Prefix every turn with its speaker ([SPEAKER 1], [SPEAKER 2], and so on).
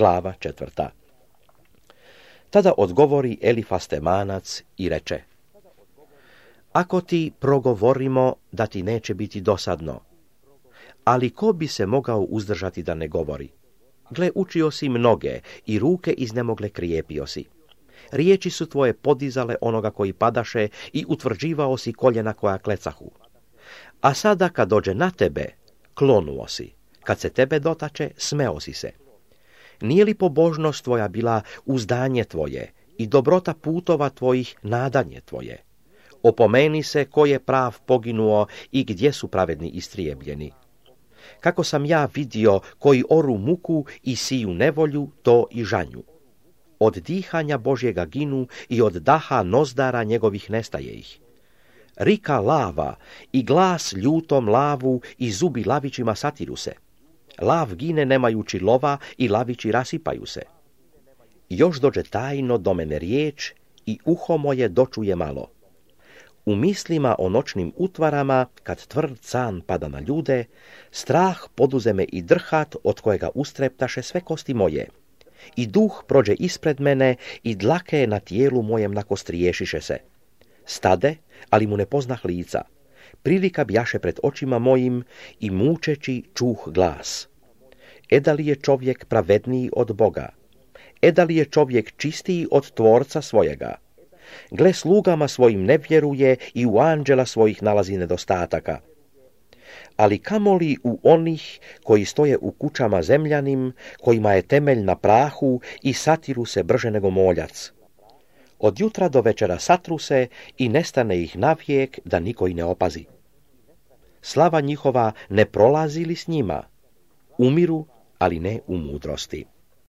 [SPEAKER 1] Glava 4. Tada odgovori Elifaz Temanac i reče: Ako ti progovorimo da ti neće biti dosadno, ali ko bi se mogao uzdržati da ne govori? Gle, učio si mnoge i ruke iznemogle krijepio si. Riječi su tvoje podizale onoga koji padaše i utvrđivao si koljena koja klecahu. A sada kad dođe na tebe, klonuo si. Kad se tebe dotače, smeo si se. Nije li pobožnost tvoja bila uzdanje tvoje i dobrota putova tvojih nadanje tvoje? Opomeni se ko je prav poginuo i gdje su pravedni istrijebljeni. Kako sam ja vidio koji oru muku i siju nevolju, to i žanju. Od dihanja Božjega ginu i od daha nozdara njegovih nestaje ih. Rika lava i glas ljutom lavu i zubi lavićima satiru se. Lav gine nemajući lova i lavići rasipaju se. Još dođe tajno do mene riječ i uho moje dočuje malo. U mislima o noćnim utvarama, kad tvrd san pada na ljude, strah poduze me i drhat od kojega ustreptaše sve kosti moje. I duh prođe ispred mene i dlake na tijelu mojem nakostriješiše se. Stade, ali mu ne poznah lica. Prilika bjaše pred očima mojim i mučeći čuh glas. Da li je čovjek pravedniji od Boga? Da li je čovjek čistiji od tvorca svojega? Gle, slugama svojim ne vjeruje i u anđela svojih nalazi nedostataka. Ali kamoli u onih koji stoje u kućama zemljanim, kojima je temelj na prahu i satiru se brže nego moljac. Od jutra do večera satru se i nestane ih navijek da niko i ne opazi. Slava njihova ne prolazi li s njima? Umiru, ali ne u mudrosti.